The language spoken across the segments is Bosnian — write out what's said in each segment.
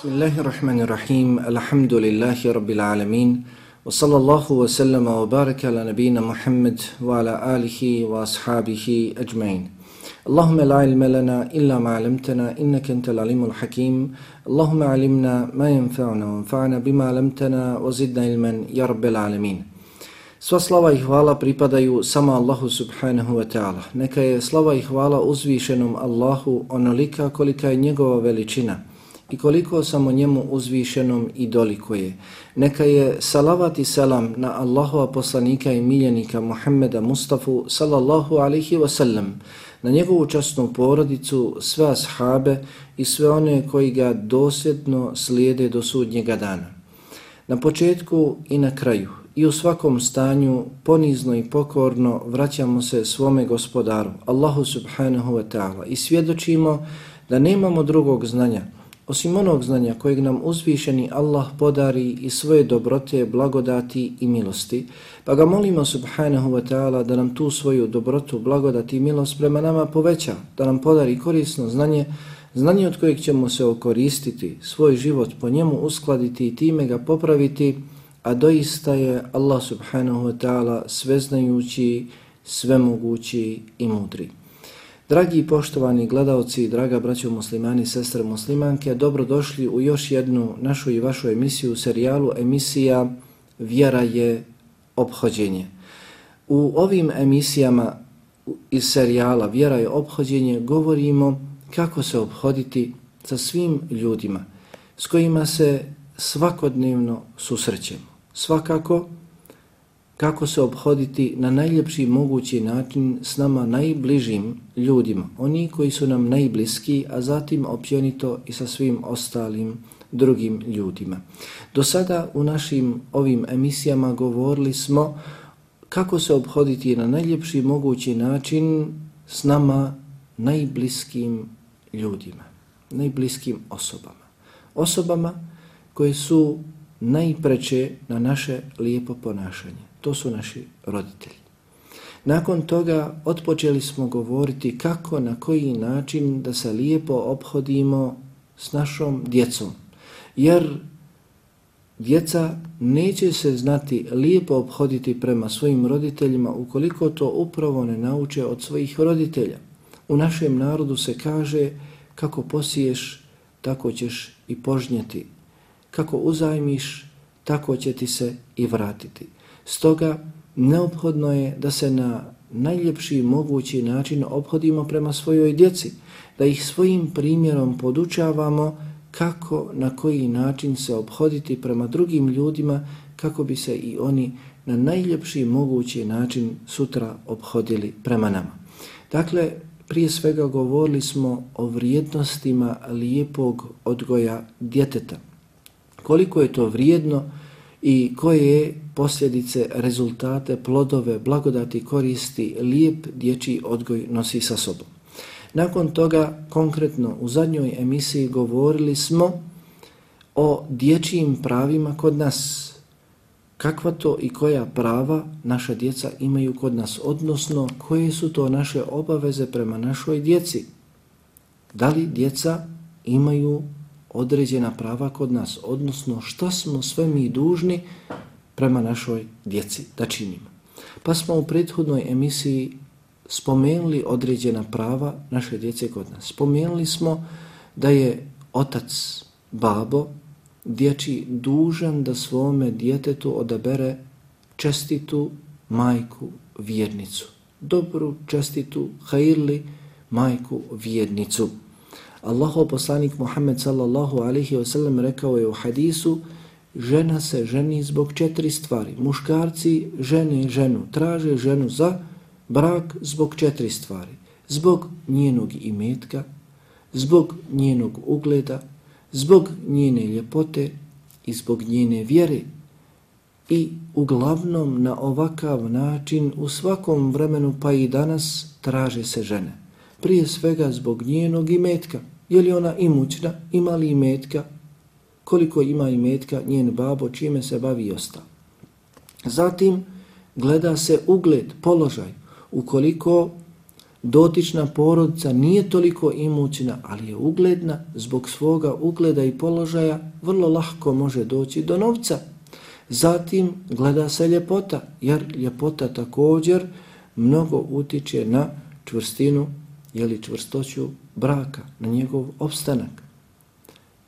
Bismillahirrahmanirrahim. Alhamdulillahi rabbil alamin. Wa sallallahu wa sallama wa baraka ala nabina Muhammad wa ala alihi wa ashabihi ajma'in. Allahumma la ilma lana illa ma 'allamtana innaka antal alimul hakim. Allahumma 'allimna ma yanfa'una wanfa'na bima 'allamtana wa zidna ilman ya rabbil alamin. Sva slava i hvala pripadaju samo Allahu subhanahu wa ta'ala. Neka je slava i hvala uzvišenom Allahu onolika kolika je njegova veličina i koliko samo njemu uzvišenom i dolikuje. Neka je salavat i selam na Allahova poslanika i miljenika Muhammeda Mustafa sallallahu alaihi wa sallam, na njegovu časnu porodicu, sve ashabe i sve one koji ga dosljedno slijede do sudnjega dana. Na početku i na kraju i u svakom stanju ponizno i pokorno vraćamo se svome gospodaru, Allahu subhanahu wa ta'ala, i svjedočimo da nemamo drugog znanja osim onog znanja kojeg nam uzvišeni Allah podari i svoje dobrote, blagodati i milosti, pa ga molimo subhanahu wa ta'ala da nam tu svoju dobrotu, blagodati i milost prema nama poveća, da nam podari korisno znanje od kojeg ćemo se okoristiti, svoj život po njemu uskladiti i time ga popraviti, a doista je Allah subhanahu wa ta'ala sveznajući, svemogući i mudri. Dragi i poštovani gledaoci, draga braćo muslimani, sestre muslimanke, dobrodošli u još jednu našu i vašu emisiju, serijalu emisija Vjera je ophođenje. U ovim emisijama iz serijala Vjera je ophođenje govorimo kako se ophoditi sa svim ljudima s kojima se svakodnevno susrećemo. Svakako kako se ophoditi na najljepši mogući način s nama najbližim ljudima, oni koji su nam najbliski, a zatim općenito i sa svim ostalim drugim ljudima. Do sada u našim ovim emisijama govorili smo kako se ophoditi na najljepši mogući način s nama najbliskim ljudima, najbliskim osobama. Osobama koje su najpreče na naše lijepo ponašanje. To su naši roditelji. Nakon toga otpočeli smo govoriti kako, na koji način da se lijepo ophodimo s našom djecom. Jer djeca neće se znati lijepo ophoditi prema svojim roditeljima ukoliko to upravo ne nauče od svojih roditelja. U našem narodu se kaže kako posiješ, tako ćeš i požnjeti. Kako uzajmiš, tako će ti se i vratiti. Stoga neophodno je da se na najljepši mogući način ophodimo prema svojoj djeci, da ih svojim primjerom podučavamo kako, na koji način se ophoditi prema drugim ljudima, kako bi se i oni na najljepši mogući način sutra ophodili prema nama. Dakle, prije svega govorili smo o vrijednostima lijepog odgoja djeteta. Koliko je to vrijedno i koje posljedice, rezultate, plodove, blagodati, koristi lijep dječji odgoj nosi sa sobom. Nakon toga, konkretno u zadnjoj emisiji govorili smo o dječjim pravima kod nas. Kakva to i koja prava naša djeca imaju kod nas, odnosno koje su to naše obaveze prema našoj djeci. Da li djeca imaju određena prava kod nas, odnosno šta smo sve mi dužni prema našoj djeci da činimo. Pa smo u prethodnoj emisiji spomenuli određena prava naše djece kod nas. Spomenuli smo da je otac, babo, dječji dužan da svome djetetu odabere čestitu majku vjernicu. Dobru, čestitu, hajirli majku vjernicu. Allahov poslanik Muhammed sallallahu alaihi wa sallam rekao je u hadisu: žena se ženi zbog 4 stvari. Muškarci žene ženu, traže ženu za brak zbog 4 stvari. Zbog njenog imetka, zbog njenog ugleda, zbog njene ljepote i zbog njene vjere. I uglavnom na ovakav način u svakom vremenu pa i danas traže se žene. Prije svega zbog njenog imetka. Je li ona imućna, ima li imetka, koliko ima imetka, njen babo, čime se bavi i ostalo. Zatim gleda se ugled, položaj. Ukoliko dotična porodica nije toliko imućna, ali je ugledna, zbog svoga ugleda i položaja vrlo lahko može doći do novca. Zatim gleda se ljepota, jer ljepota također mnogo utiče na čvrstinu, čvrstoću braka, na njegov opstanak.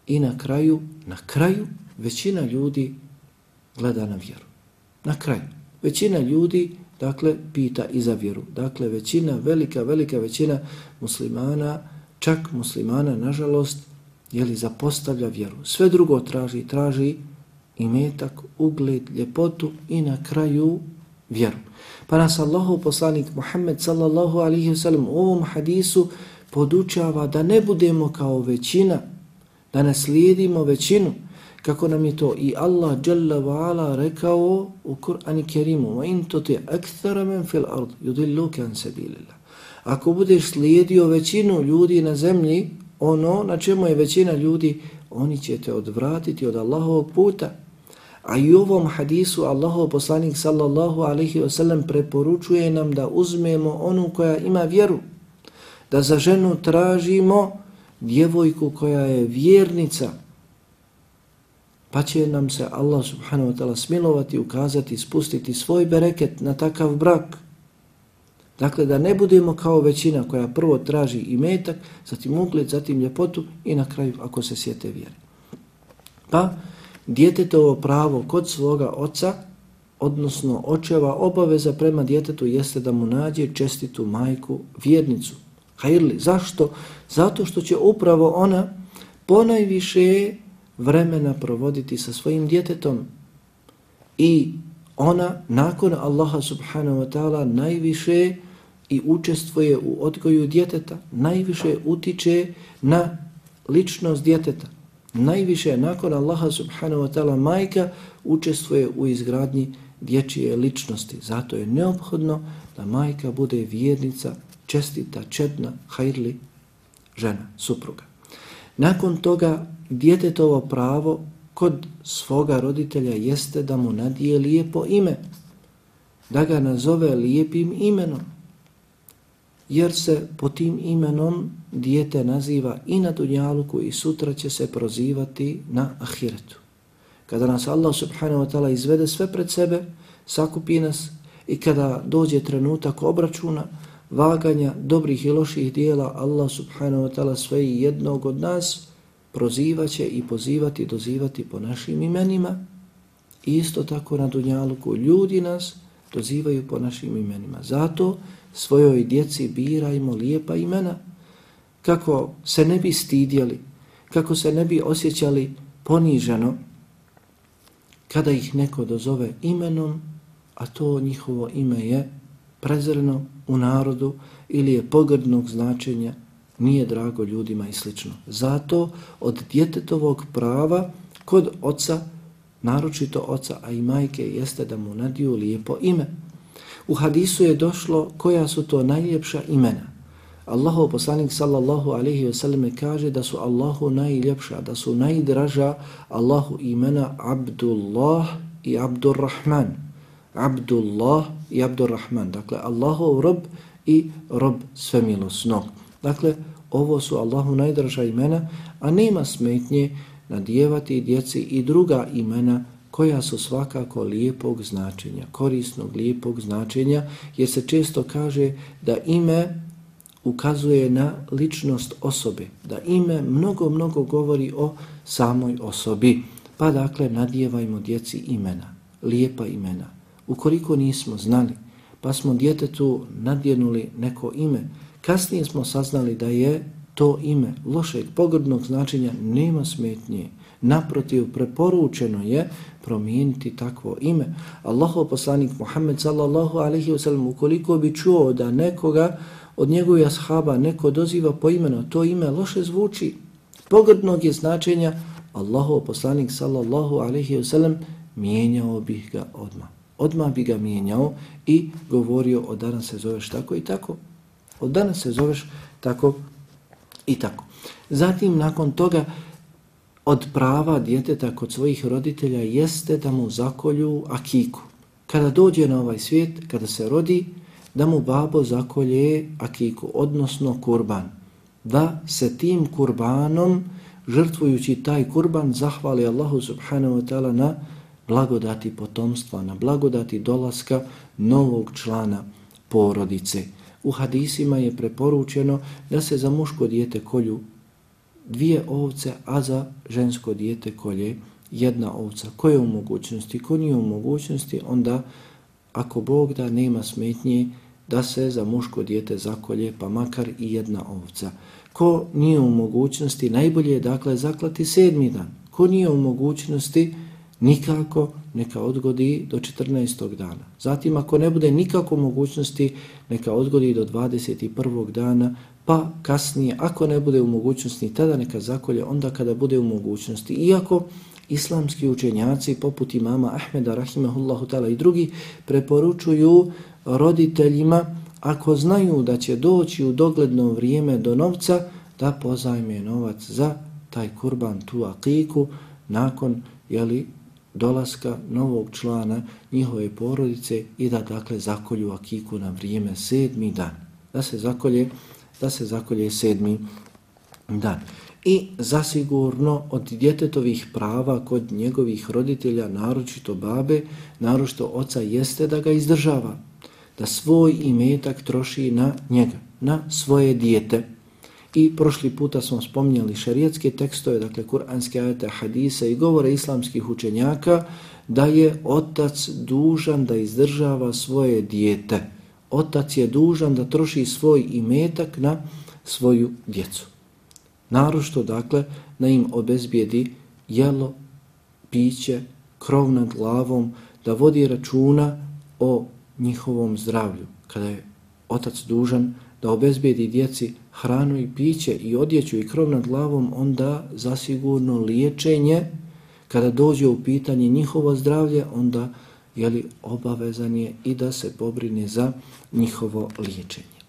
I na kraju većina ljudi gleda na vjeru. Na kraju. Većina ljudi, pita i za vjeru. Većina, velika većina muslimana, čak muslimana, nažalost, zapostavlja vjeru. Sve drugo traži imetak, ugled, ljepotu i na kraju vjeru. Pa nas Allahov poslanik Muhammed sallallahu alaihi wa sallam u ovom hadisu podučava da ne budemo kao većina, da ne slijedimo većinu, kako nam je to i Allah Jalla wa Ala rekao u Kur'anu Kerimu: "Wa in tuti akthara man fil ard yudilluka an sabilillah." Ako budeš slijedio većinu ljudi na zemlji, ono na čemu je većina ljudi, oni će te odvratiti od Allahovog puta. A i u ovom hadisu Allahov poslanik sallallahu alaihi wa sallam preporučuje nam da uzmemo onu koja ima vjeru, da za ženu tražimo djevojku koja je vjernica, pa će nam se Allah subhanahu wa ta'ala smilovati, ukazati, spustiti svoj bereket na takav brak. Dakle, da ne budemo kao većina koja prvo traži imetak, zatim ugled, zatim ljepotu i na kraju ako se sjete vjere. Pa djetetovo pravo kod svoga oca, odnosno očeva, obaveza prema djetetu jeste da mu nađe čestitu majku, vjernicu. Hajrli. Zašto? Zato što će upravo ona ponajviše vremena provoditi sa svojim djetetom i ona nakon Allaha subhanahu wa ta'ala najviše i učestvuje u odgoju djeteta, najviše utiče na ličnost djeteta. Najviše nakon Allaha subhanahu wa ta'ala majka učestvuje u izgradnji dječje ličnosti. Zato je neophodno da majka bude vjernica, čestita, čedna, hajrli žena, supruga. Nakon toga djetetovo pravo kod svoga roditelja jeste da mu nadije lijepo ime, da ga nazove lijepim imenom, jer se po tim imenom dijete naziva i na dunjaluku i sutra će se prozivati na ahiretu. Kada nas Allah subhanahu wa ta'ala izvede sve pred sebe, sakupi nas i kada dođe trenutak obračuna, vaganja dobrih i loših dijela, Allah subhanahu wa ta'ala sve jednog od nas prozivaće i pozivati, dozivati po našim imenima. I isto tako na dunjaluku ljudi nas dozivaju po našim imenima. Zato svojoj djeci birajmo lijepa imena, kako se ne bi stidjeli, kako se ne bi osjećali poniženo kada ih neko dozove imenom, a to njihovo ime je prezreno u narodu ili je pogrdnog značenja, nije drago ljudima i slično. Zato od djetetovog prava kod oca, naročito oca, a i majke, jeste da mu nadiju lijepo ime. U hadisu je došlo koja su to najljepša imena. Allahov poslanik sallallahu alaihi wa sallam kaže da su Allahu najljepša, da su najdraža Allahu imena Abdullah i Abdurrahman. Abdullah i Abdurrahman. Dakle, Allahov rob i rob svemilosnog. Dakle, ovo su Allahu najdraža imena, a nema smetnje nadijevati djeci i druga imena koja su svakako lijepog značenja, korisnog lijepog značenja, jer se često kaže da ime ukazuje na ličnost osobe, da ime mnogo govori o samoj osobi. Pa dakle, nadijevajmo djeci imena, lijepa imena. Ukoliko nismo znali, pa smo djetetu nadjenuli neko ime, kasnije smo saznali da je to ime lošeg, pogrdnog značenja, nema smetnje. Naprotiv, preporučeno je promijeniti takvo ime. Allahov poslanik Muhammed sallallahu alaihi wa sallam, ukoliko bi čuo da nekoga od njegovih ashaba neko doziva po imenu, to ime loše zvuči, pogrdnog je značenja, Allahov poslanik sallallahu alaihi wa sallam mijenjao bih ga odmah. Odmah bi ga mijenjao i govorio: od danas se zoveš tako i tako. Od danas se zoveš tako i tako. Zatim, nakon toga, od prava djeteta kod svojih roditelja jeste da mu zakolju akiku. Kada dođe na ovaj svijet, kada se rodi, da mu babo zakolje akiku, odnosno kurban, da se tim kurbanom, žrtvujući taj kurban, zahvali Allahu subhanahu wa ta'ala na blagodati potomstva, na blagodati dolaska novog člana porodice. U hadisima je preporučeno da se za muško dijete kolju 2 ovce, a za žensko dijete kolje 1 ovca. Ko je u mogućnosti, ko nije u mogućnosti, onda ako Bog da, nema smetnje da se za muško dijete zakolje pa makar i 1 ovca. Ko nije u mogućnosti, najbolje je dakle zaklati 7. dan. Ko nije u mogućnosti, nikako neka odgodi do 14. dana. Zatim ako ne bude nikako mogućnosti, neka odgodi do 21. dana, pa kasnije, ako ne bude u mogućnosti, tada neka zakolje onda kada bude u mogućnosti. Iako islamski učenjaci poput imama Ahmeda rahimahullahu ta'ala i drugi preporučuju roditeljima, ako znaju da će doći u dogledno vrijeme do novca, da pozajme novac za taj kurban, tu akiku, nakon dolaska novog člana njihove porodice i da dakle zakolju akiku na vrijeme 7. dan. Da se zakolje 7. dan. I zasigurno od djetetovih prava kod njegovih roditelja, naročito babe, naročito oca, jeste da ga izdržava, da svoj imetak troši na njega, na svoje dijete. I prošli puta smo spominjali šerijatske tekstove, dakle kuranske ajete, hadise i govore islamskih učenjaka, da je otac dužan da izdržava svoje dijete. Otac je dužan da troši svoj imetak na svoju djecu. Naročito, dakle, da im obezbijedi jelo, piće, krov nad glavom, da vodi računa o njihovom zdravlju. Kada je otac dužan da obezbijedi djeci hranu i piće i odjeću i krov nad glavom, onda zasigurno liječenje, kada dođe u pitanje njihovo zdravlje, onda obavezan je i da se pobrine za njihovo liječenje.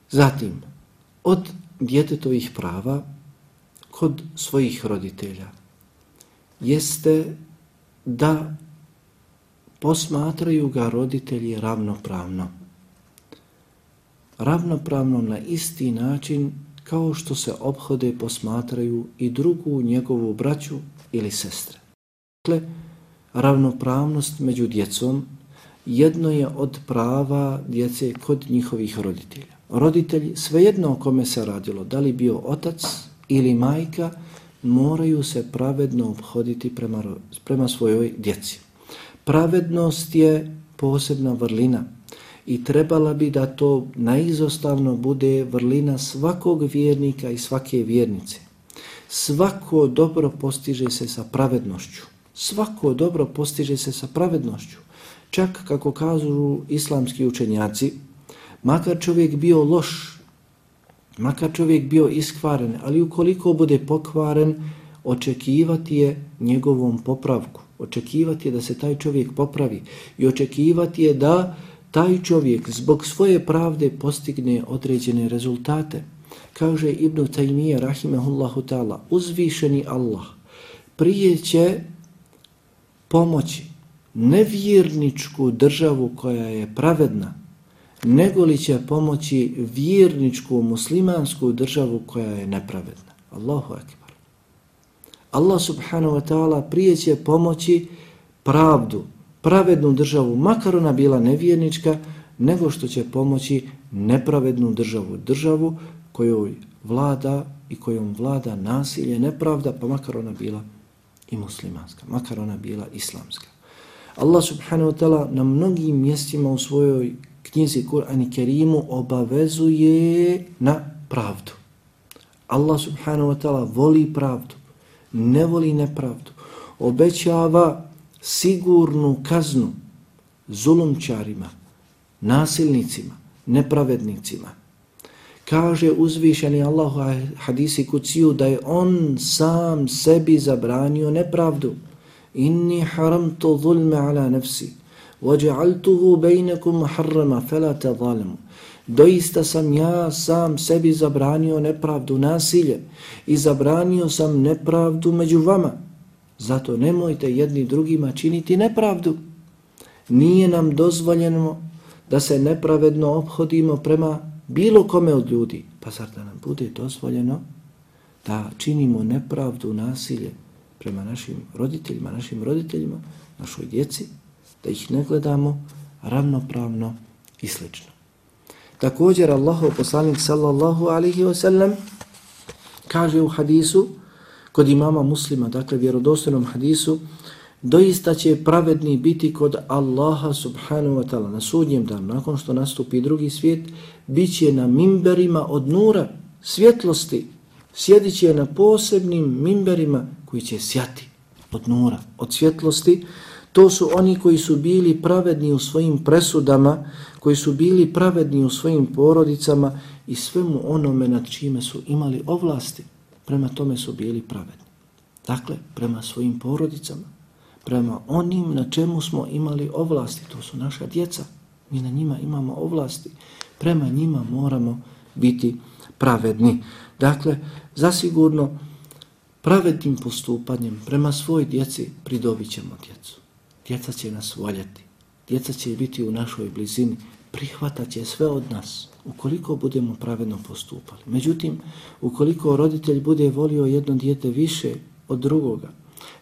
Zatim, od djetetovih prava kod svojih roditelja jeste da posmatraju ga roditelji ravnopravno. Ravnopravno na isti način kao što se ophode posmatraju i drugu njegovu braću ili sestre. Dakle, ravnopravnost među djecom jedno je od prava djece kod njihovih roditelja. Roditelji, svejedno o kome se radilo, da li bio otac ili majka, moraju se pravedno ophoditi prema svojoj djeci. Pravednost je posebna vrlina i trebala bi da to naizostavno bude vrlina svakog vjernika i svake vjernice. Svako dobro postiže se sa pravednošću. Svako dobro postiže se sa pravednošću. Čak, kako kažu islamski učenjaci, makar čovjek bio loš, makar čovjek bio iskvaren, ali ukoliko bude pokvaren, očekivati je njegovom popravku. Očekivati je da se taj čovjek popravi i očekivati je da taj čovjek zbog svoje pravde postigne određene rezultate. Kaže Ibn Taymije rahimehullahu ta'ala, uzvišeni Allah prije će pomoći nevjerničku državu koja je pravedna, nego li će pomoći vjerničku muslimansku državu koja je nepravedna. Allahu akbar. Allah subhanahu wa ta'ala prije će pomoći pravdu, pravednu državu, makar ona bila nevjernička, nego što će pomoći nepravednu državu, državu kojoj vlada i kojom vlada nasilje, nepravda, pa makar ona bila i muslimanska, makar ona bila islamska. Allah subhanahu wa ta'ala na mnogim mjestima u svojoj knjizi Kur'an i Kerimu obavezuje na pravdu. Allah subhanahu wa ta'ala voli pravdu, ne voli nepravdu. Obećava sigurnu kaznu zulumčarima, nasilnicima, nepravednicima. Kaže uzvišeni Allah u hadisi kuciju da je on sam sebi zabranio nepravdu. Inni haramtu zulme ala nafsi وَجَعَلْتُهُ بَيْنَكُمْ مُحَرَّمًا فَلَا تَظَالِمُوا. Doista sam ja sam sebi zabranio nepravdu, nasilje i zabranio sam nepravdu među vama. Zato nemojte jedni drugima činiti nepravdu. Nije nam dozvoljeno da se nepravedno ophodimo prema bilo kome od ljudi. Pa zar da nam bude dozvoljeno da činimo nepravdu, nasilje prema našim roditeljima, našoj djeci, da ih ne gledamo ravnopravno i slično. Također Allahov poslanik sallallahu alaihi wa sallam kaže u hadisu kod imama Muslima, dakle vjerodostojnom hadisu, doista će pravedni biti kod Allaha subhanahu wa ta'ala na sudnjem danu, nakon što nastupi drugi svijet, bit će na mimberima od nura, svjetlosti, sjedit će na posebnim mimberima koji će sjati od nura, od svjetlosti. To su oni koji su bili pravedni u svojim presudama, koji su bili pravedni u svojim porodicama i svemu onome nad čime su imali ovlasti, prema tome su bili pravedni. Dakle, prema svojim porodicama, prema onim na čemu smo imali ovlasti, to su naša djeca, mi na njima imamo ovlasti, prema njima moramo biti pravedni. Dakle, zasigurno pravednim postupanjem prema svoj djeci pridobit ćemo djecu. Djeca će nas voljeti, djeca će biti u našoj blizini, prihvatat će sve od nas, ukoliko budemo pravedno postupali. Međutim, ukoliko roditelj bude volio jedno dijete više od drugoga,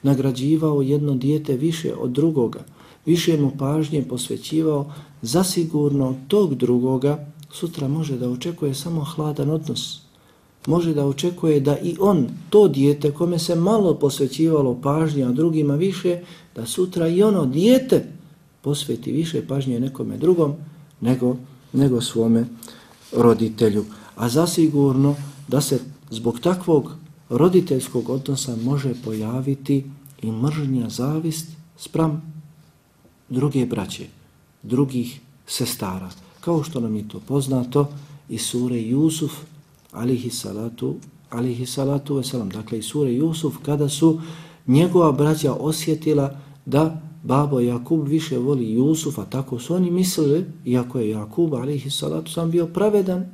nagrađivao jedno dijete više od drugoga, više mu pažnje posvećivao, zasigurno od tog drugoga sutra može da očekuje samo hladan odnos. Može da očekuje da i on, to dijete kome se malo posvećivalo pažnje, a drugima više, da sutra i ono dijete posveti više pažnje nekome drugom nego svome roditelju. A zasigurno da se zbog takvog roditeljskog odnosa može pojaviti i mržnja, zavist spram druge braće, drugih sestara. Kao što nam je to poznato iz sure Jusuf, alihi salatu veselam. Dakle, iz sure Jusuf, kada su njegova braća osjetila da babo Jakub više voli Jusufa, tako su oni mislili, iako je Jakub, alihi salatu sam bio pravedan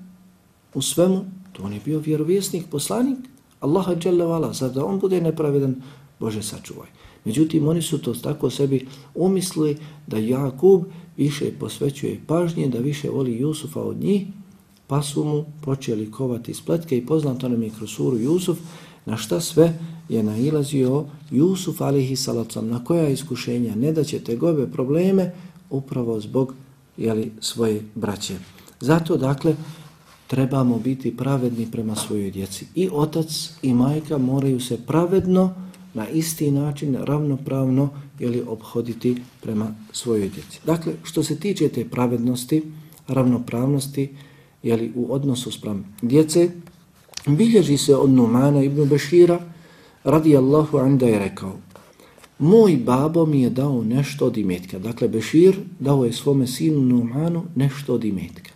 u svemu, to on je bio vjerovjesnik, poslanik Allaha dželle vala, zar da on bude nepravedan, Bože sačuvaj. Međutim, oni su to tako sebi umislili da Jakub više posvećuje pažnje, da više voli Jusufa od njih, pa su mu počeli kovati spletke i poznato nam je kroz suru Jusuf na šta sve je nailazio Jusuf alejhi salatu, na koja iskušenja, ne da ćete gobe probleme upravo zbog svoje braće. Zato dakle trebamo biti pravedni prema svojoj djeci. I otac i majka moraju se pravedno na isti način ravnopravno ophoditi prema svojoj djeci. Dakle, što se tiče te pravednosti, ravnopravnosti u odnosu spram djece, bilježi se od Numana ibn Bešira radijallahu anhu da je rekao: moj babo mi je dao nešto od imetka. Dakle, Bešir dao je svome sinu Numanu nešto od imetka.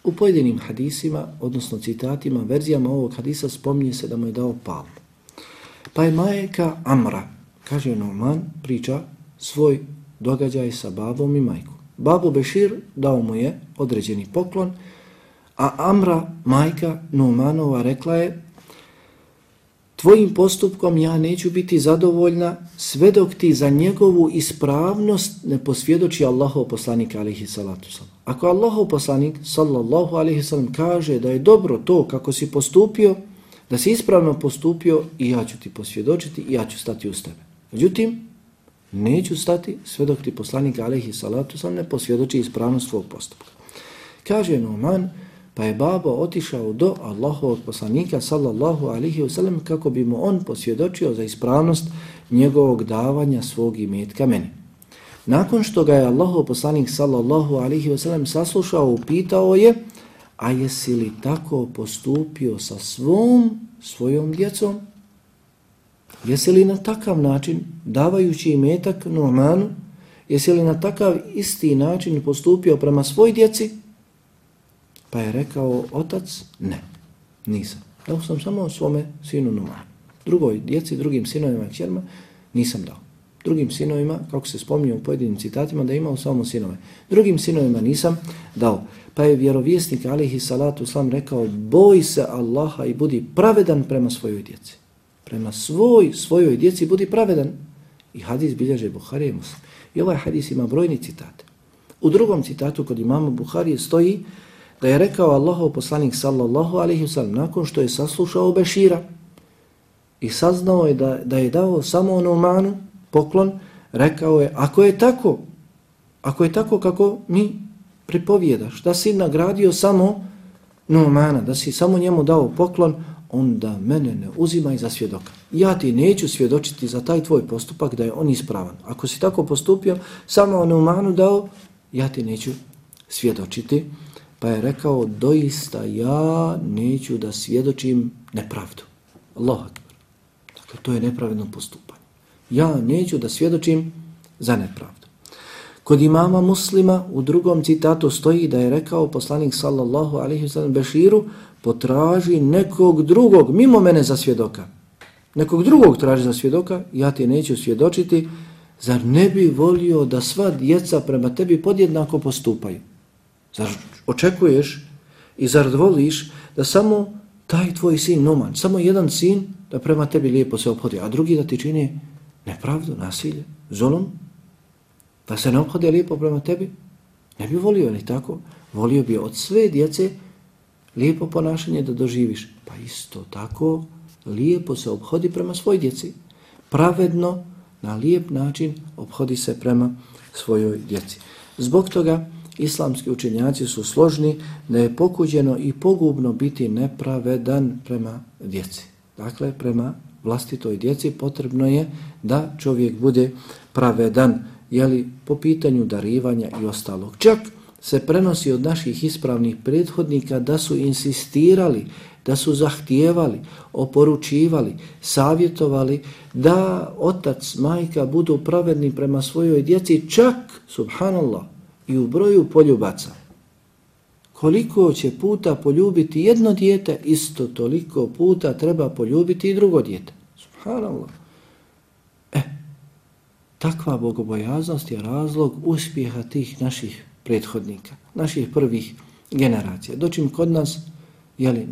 U pojedinim hadisima, odnosno citatima, verzijama ovog hadisa spominje se da mu je dao palmu. Pa je majka Amra, kaže Numan, priča svoj događaj sa babom i majkom. Babo Bešir dao mu je određeni poklon, a Amra, majka Numanova, rekla je: tvojim postupkom ja neću biti zadovoljna sve dok ti za njegovu ispravnost ne posvjedoči Allahov poslanik alejhi salatu selam. Ako Allahov poslanik sallallahu alejhi sallam kaže da je dobro to kako si postupio, da si ispravno postupio, i ja ću ti posvjedočiti i ja ću stati uz tebe. Međutim, neću stati sve dok ti poslanik alejhi salatu selam ne posvjedoči ispravnost svog postupka. Kaže Numan, pa je babo otišao do Allahovog poslanika sallallahu alejhi ve sellem kako bi mu on posvjedočio za ispravnost njegovog davanja svog imetka meni. Nakon što ga je Allahov poslanik sallallahu alejhi ve sellem saslušao, upitao je: a jesi li tako postupio sa svojom djecom? Jesi li na takav način, davajući imetak Numanu, jesi li na takav isti način postupio prema svoj djeci? Pa je rekao otac: ne, nisam. Dao sam samo svome sinu Numanu. Drugoj djeci, drugim sinovima i kćerima nisam dao. Drugim sinovima, kako se spominje u pojedinim citatima, da je imao samo sinove. Drugim sinovima nisam dao. Pa je vjerovjesnik alejhi salatu selam rekao: boj se Allaha i budi pravedan prema svojoj djeci. Prema svojoj djeci budi pravedan. I hadis bilježe Buharija i Muslim. I ovaj hadis ima brojni citate. U drugom citatu kod imama Buharije stoji da je rekao Allahov poslanik sallallahu alejhi ve sellem nakon što je saslušao Bešira i saznao je da je dao samo Numanu poklon, rekao je ako je tako kako mi pripovjedaš, da si nagradio samo Numana, da si samo njemu dao poklon, onda mene ne uzimaj za svjedoka. Ja ti neću svjedočiti za taj tvoj postupak da je on ispravan. Ako si tako postupio, samo Numanu dao, ja ti neću svjedočiti. Pa je rekao, doista ja neću da svjedočim nepravdu. Allahu akbar. Dakle, to je nepravedno postupanje. Ja neću da svjedočim za nepravdu. Kod imama Muslima u drugom citatu stoji da je rekao poslanik sallallahu alejhi ve sellem Beširu, potraži nekog drugog mimo mene za svjedoka. Nekog drugog traži za svjedoka, ja ti neću svjedočiti. Zar ne bi volio da sva djeca prema tebi podjednako postupaju? Zar očekuješ i zar voliš da samo taj tvoj sin Numan, samo jedan sin da prema tebi lijepo se ophodi, a drugi da ti čini nepravdu, nasilje, zulum? Da se ne ophode lijepo prema tebi? Ne bi volio ni tako. Volio bi od sve djece lijepo ponašanje da doživiš. Pa isto tako lijepo se ophodi prema svoj djeci. Pravedno, na lijep način ophodi se prema svojoj djeci. Zbog toga islamski učenjaci su složni da je pokuđeno i pogubno biti nepravedan prema djeci. Dakle, prema vlastitoj djeci potrebno je da čovjek bude pravedan, jeli, po pitanju darivanja i ostalog. Čak se prenosi od naših ispravnih prethodnika da su insistirali, da su zahtijevali, oporučivali, savjetovali da otac, majka budu pravedni prema svojoj djeci, čak, subhanallah, i u broju poljubaca. Koliko će puta poljubiti jedno dijete, isto toliko puta treba poljubiti i drugo dijete. Subhanallah. Takva bogobojaznost je razlog uspjeha tih naših prethodnika, naših prvih generacija. Dočim kod nas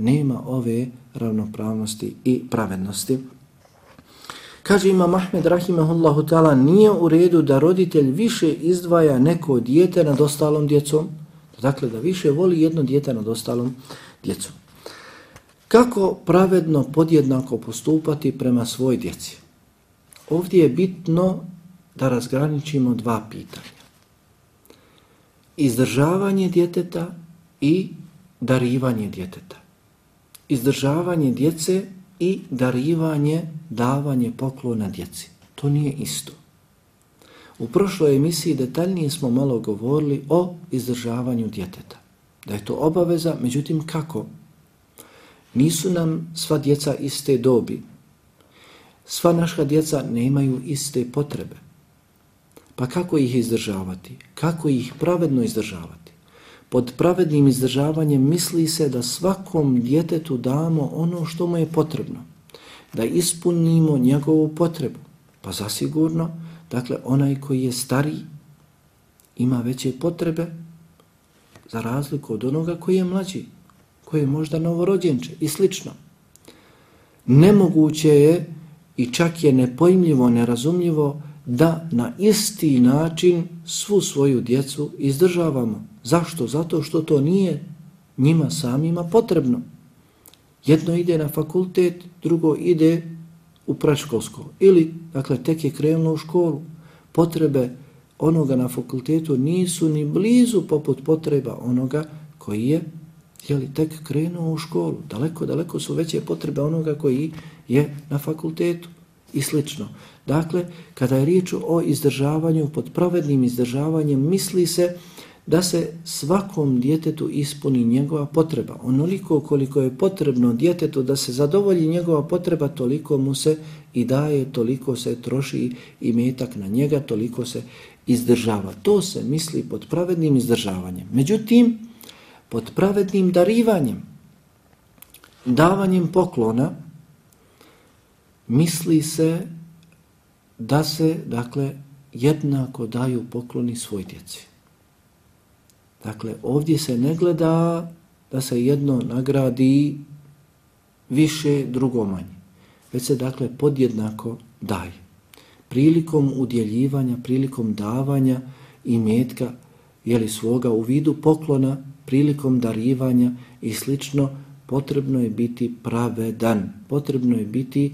nema ove ravnopravnosti i pravednosti. Kaže imam Ahmed rahimahullahu ta'ala, nije u redu da roditelj više izdvaja neko dijete nad ostalom djecom, dakle da više voli jedno dijete nad ostalom djecom. Kako pravedno podjednako postupati prema svoj djeci? Ovdje je bitno da razgraničimo dva pitanja. Izdržavanje djeteta i darivanje djeteta. Izdržavanje djece i darivanje, davanje poklona djeci. To nije isto. U prošloj emisiji detaljnije smo malo govorili o izdržavanju djeteta. Da je to obaveza, međutim kako? Nisu nam sva djeca iste dobi. Sva naša djeca nemaju iste potrebe. Pa kako ih izdržavati? Kako ih pravedno izdržavati? Pod pravednim izdržavanjem misli se da svakom djetetu damo ono što mu je potrebno. Da ispunimo njegovu potrebu. Pa zasigurno, dakle, onaj koji je stariji ima veće potrebe za razliku od onoga koji je mlađi, koji je možda novorođenče i slično. Nemoguće je i čak je nepojmljivo, nerazumljivo da na isti način svu svoju djecu izdržavamo. Zašto? Zato što to nije njima samima potrebno. Jedno ide na fakultet, drugo ide u predškolsko. Ili, dakle, tek je krenulo u školu. Potrebe onoga na fakultetu nisu ni blizu poput potreba onoga koji je tek krenuo u školu. Daleko su veće potrebe onoga koji je na fakultetu i slično. Dakle, kada je riječ o izdržavanju, pod pravednim izdržavanjem, misli se da se svakom djetetu ispuni njegova potreba. Onoliko koliko je potrebno djetetu da se zadovolji njegova potreba, toliko mu se i daje, toliko se troši i metak na njega, toliko se izdržava. To se misli pod pravednim izdržavanjem. Međutim, pod pravednim darivanjem, davanjem poklona, misli se da se, dakle, jednako daju pokloni svoj djeci. Dakle, ovdje se ne gleda da se jedno nagradi više, drugo manje. Već se, dakle, podjednako daje. Prilikom udjeljivanja, prilikom davanja imetka, svoga u vidu poklona prilikom darivanja i slično, potrebno je biti pravedan, potrebno je biti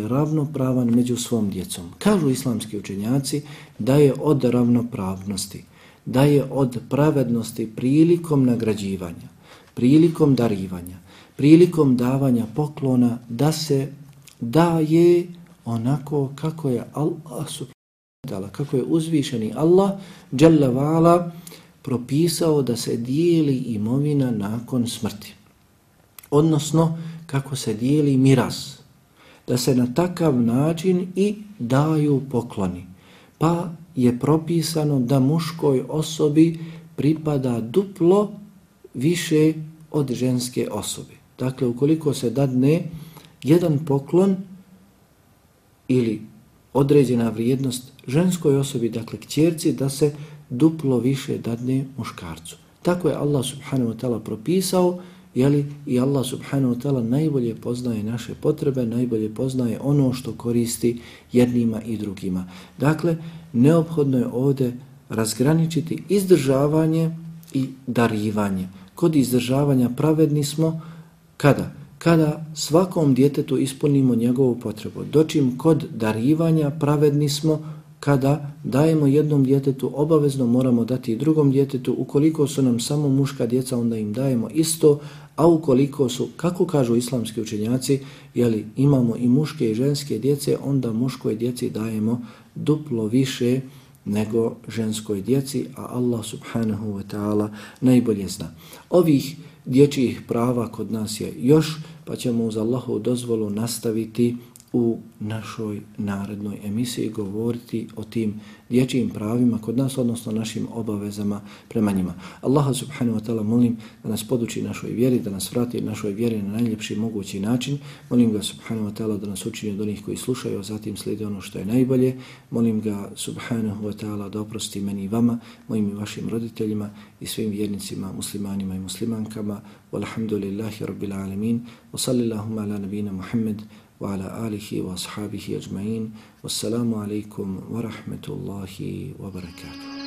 ravnopravan među svom djecom. Kažu islamski učenjaci da je od ravnopravnosti, da je od pravednosti prilikom nagrađivanja, prilikom darivanja, prilikom davanja poklona da se daje onako kako je Allah subhanahu wa ta'ala, kako je uzvišeni Allah dželle ve ala propisao da se dijeli imovina nakon smrti. Odnosno, kako se dijeli miras, da se na takav način i daju pokloni. Pa je propisano da muškoj osobi pripada duplo više od ženske osobe. Dakle, ukoliko se dadne jedan poklon ili određena vrijednost ženskoj osobi, dakle kćerci, da se duplo više dadne muškarcu. Tako je Allah subhanahu wa ta'ala propisao, i Allah subhanahu wa ta'ala najbolje poznaje naše potrebe, najbolje poznaje ono što koristi jednima i drugima. Dakle, neophodno je ovdje razgraničiti izdržavanje i darivanje. Kod izdržavanja pravedni smo kada svakom djetetu ispunimo njegovu potrebu. Dočim kod darivanja pravedni smo kada dajemo jednom djetetu, obavezno moramo dati i drugom djetetu. Ukoliko su nam samo muška djeca, onda im dajemo isto, a ukoliko su, kako kažu islamski učenjaci, imamo i muške i ženske djece, onda muškoj djeci dajemo duplo više nego ženskoj djeci, a Allah subhanahu wa ta'ala najbolje zna. Ovih dječjih prava kod nas je još, pa ćemo uz Allahovu dozvolu nastaviti u našoj narednoj emisiji govoriti o tim dječjim pravima kod nas, odnosno našim obavezama prema njima. Allaha subhanahu wa ta'ala molim da nas poduči našoj vjeri, da nas vrati našoj vjeri na najljepši mogući način. Molim ga subhanahu wa ta'ala da nas učini od onih koji slušaju, a zatim slijede ono što je najbolje. Molim ga subhanahu wa ta'ala da oprosti meni i vama, mojim i vašim roditeljima i svim vjernicima, muslimanima i muslimankama. Walhamdulillahi rabbil alamin. Wa sallillahumma ala nabina Muhammed وعلى آله وأصحابه أجمعين والسلام عليكم ورحمة الله وبركاته.